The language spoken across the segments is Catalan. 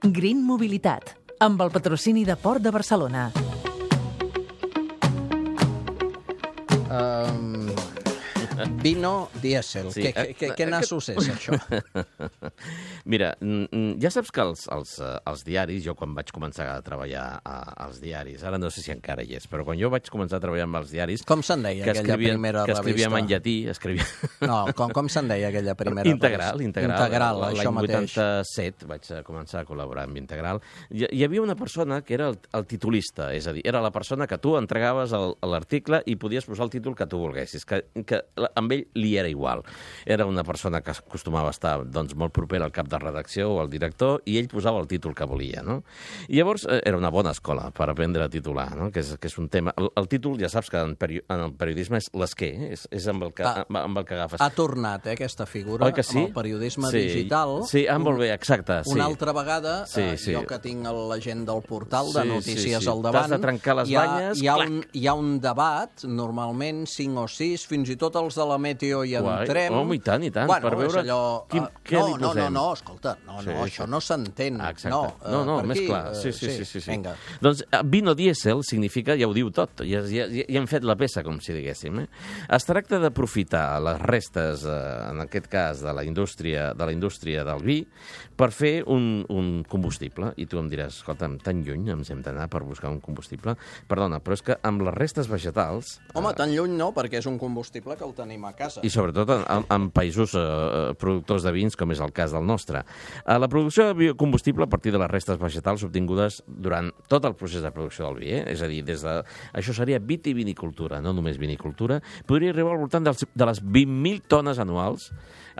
Green Mobilitat, amb el patrocini de Port de Barcelona. Vino dièsel. Sí. Què nassos és, això? Mira, ja saps que els diaris, jo quan vaig començar a treballar als diaris, ara no sé si encara hi és, però quan jo vaig començar a treballar amb els diaris... Com se'n deia aquella primera revista? Que escrivíem en llatí, No, com se'n deia aquella primera revista? Integral, això mateix. L'any 87 vaig començar a col·laborar amb Integral. Hi havia una persona que era el titulista, és a dir, era la persona que tu entregaves l'article i podies posar el títol que tu volguessis, que amb ell li era igual. Era una persona que acostumava a estar molt propera al cap de redacció o al director i ell posava el títol que volia, no? I llavors era una bona escola per aprendre a titular, no? Que és un tema... El títol, ja saps que en el periodisme és l'esquer, és amb el que agafes. Ha tornat, aquesta figura, amb el periodisme digital. Sí, molt bé, exacte. Una altra vegada, jo que tinc la gent del portal de notícies al davant... T'has de trencar les banyes, hi ha un debat, normalment 5 o 6, fins i tot els de la Meteo hi entrem. Home, i tant, bueno, per veure què li posem. No, escolta, això no s'entén. No, més clar. Sí. Vinga. Doncs vino dièsel significa, ja ho diu tot, ja hem fet la peça, com si diguéssim. Es tracta d'aprofitar les restes, en aquest cas, de la indústria del vi, per fer un combustible. I tu em diràs, escolta'm, tan lluny ens hem d'anar per buscar un combustible? Perdona, però és que amb les restes vegetals... Home, tan lluny no, perquè és un combustible que el tenim a casa. I sobretot en països productors de vins, com és el cas del nostre. La producció de biocombustible a partir de les restes vegetals obtingudes durant tot el procés de producció del vi, és a dir, això seria vitivinicultura, no només vinicultura, podria arribar al voltant de les 20.000 tones anuals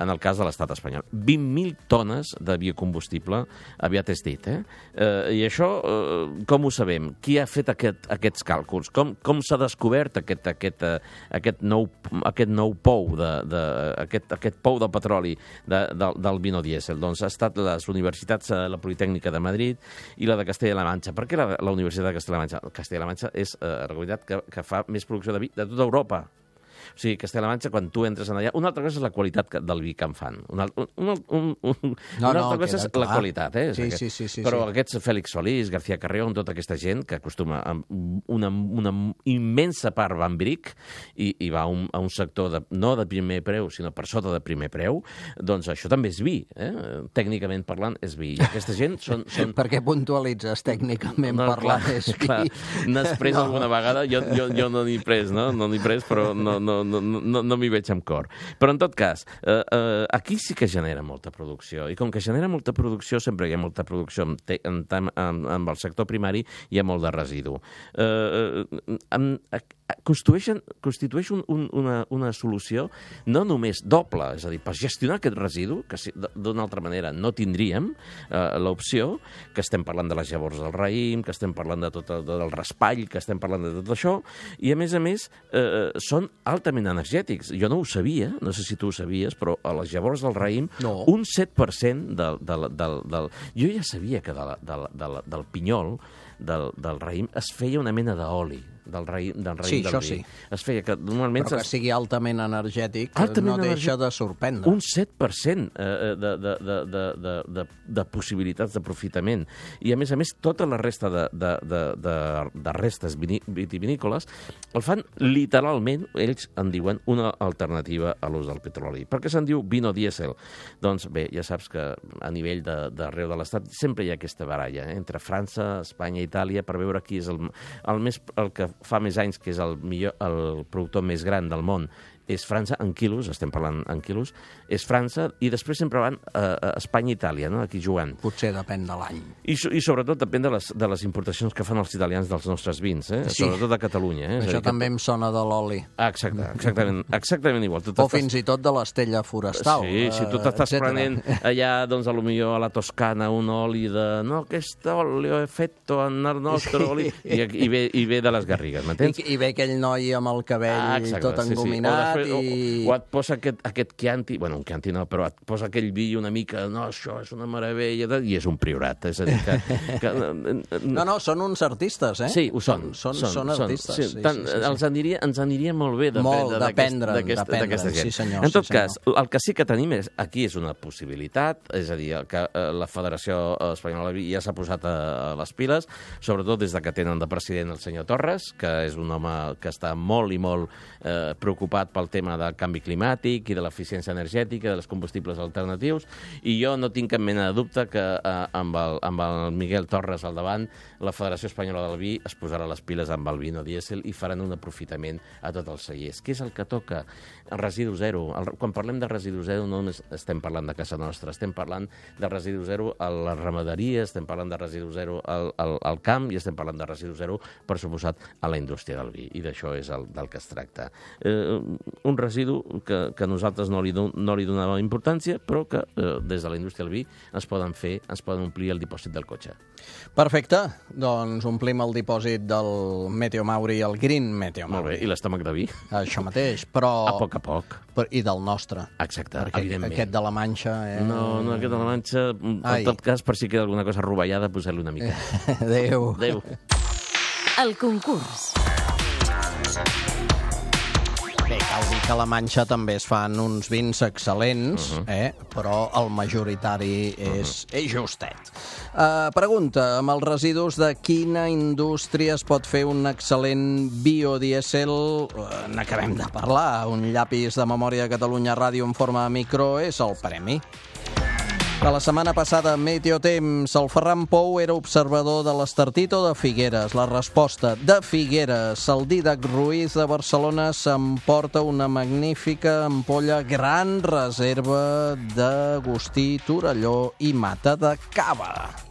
en el cas de l'estat espanyol. 20.000 tones de biocombustible aviat és dit, I això, com ho sabem? Qui ha fet aquests càlculs? Com s'ha descobert aquest nou pou, aquest pou de petroli del vino dièsel? Doncs ha estat les universitats, la Politècnica de Madrid i la de Castella-La Manxa. Per què la Universitat de Castella-La Manxa? Castella-La Manxa és la comunitat que fa més producció de vi de tota Europa. O sigui, Castella-La Manxa, quan tu entres allà... Una altra cosa és la qualitat del vi que en fan. Una altra cosa és la qualitat, Sí. Però aquests Fèlix Solís, García Carrión, tota aquesta gent que acostuma a una immensa part va amb bric i va a un sector no de primer preu, sinó per sota de primer preu, doncs això també és vi. Tècnicament parlant, és vi. I aquesta gent són... Per què puntualitzes tècnicament parlant és vi? Clar, n'has pres alguna vegada? Jo no n'he pres, no? No n'he pres, però no m'hi veig amb cor. Però en tot cas, aquí sí que genera molta producció. I com que genera molta producció, sempre hi ha molta producció amb el sector primari, hi ha molt de residu. Constitueix una solució no només doble, és a dir, per gestionar aquest residu, que d'una altra manera no tindríem l'opció, que estem parlant de les llavors del raïm, que estem parlant del raspall, que estem parlant de tot això, i a més, són altament energètics. Jo no ho sabia, no sé si tu ho sabies, però a les llavors del raïm, un 7% Jo ja sabia que del pinyol, del raïm, es feia una mena d'oli, del raïm del vi. Sí. Es feia que normalment... Però que sigui altament energètic no deixa de sorprendre. Un 7% de possibilitats d'aprofitament. I, a més, tota la resta de restes vitivinícoles el fan literalment, ells en diuen, una alternativa a l'ús del petroli. Per què se'n diu vino dièsel? Doncs bé, ja saps que a nivell d'arreu de l'Estat sempre hi ha aquesta baralla entre França, Espanya i Itàlia per veure qui és el que fa més anys que és el productor més gran del món. És França en quilos, estem parlant en quilos, és França, i després sempre van a Espanya i Itàlia, no? Aquí jugant. Potser depèn de l'any. I sobretot depèn de les importacions que fan els italians dels nostres vins, sobretot a Catalunya. Això també em sona de l'oli. Exactament igual. O fins i tot de l'estella forestal. Sí, si tu t'estàs prenent allà, doncs, potser a la Toscana, un oli de... No, aquest oli ho he fet en el nostre oli... I ve de les Garrigues, m'entens? I ve aquell noi amb el cabell tot engominat... O et posa aquest Chianti, bueno, un Chianti no, però et posa aquell vi una mica, no, això és una meravella, i és un priorat. És a dir, que No, són uns artistes, eh? Sí, ho són. Són artistes. Sí. Ens aniria molt bé d'aprendre d'aquesta gent. Sí, senyor. En tot cas, el que sí que tenim aquí és una possibilitat, és a dir, que la Federació Espanyola ja s'ha posat a les piles, sobretot des que tenen de president el senyor Torres, que és un home que està molt i molt preocupat pel tema del canvi climàtic i de l'eficiència energètica, dels combustibles alternatius, i jo no tinc cap mena de dubte que amb el Miguel Torres al davant, la Federació Espanyola del Vi es posarà les piles amb el vino dièsel i faran un aprofitament a tots els cellers. Què és el que toca? El residu zero. Quan parlem de residu zero no només estem parlant de casa nostra, estem parlant de residu zero a la ramaderia, estem parlant de residu zero al camp i estem parlant de residu zero, per suposat, a la indústria del vi. I d'això és del que es tracta. Un residu que nosaltres no li donàvem importància, però que des de la indústria del vi es poden omplir el dipòsit del cotxe. Perfecte. Doncs omplim el dipòsit del Meteo Mauri, el Green Meteo Mauri. Molt bé. I l'estómac de vi? Això mateix, però... A poc a poc. I del nostre. Exacte, perquè evidentment. Aquest de la Manxa... No, aquest de la Manxa, en tot cas, per si queda alguna cosa rovellada, posar-li una mica. Adéu. Adéu. El concurs. Bé, cal dir que a la Manxa també es fan uns vins excel·lents, però el majoritari és justet. Pregunta, amb els residus de quina indústria es pot fer un excel·lent biodièsel? N'acabem de parlar. Un llapis de Memòria de Catalunya Ràdio en forma de micro és el premi. De la setmana passada, Meteotemps, el Ferran Pou era observador de l'Estartit o de Figueres? La resposta, de Figueres. El Dídac Ruiz de Barcelona s'emporta una magnífica ampolla Gran Reserva d'Agustí, Torelló i Mata de Cava.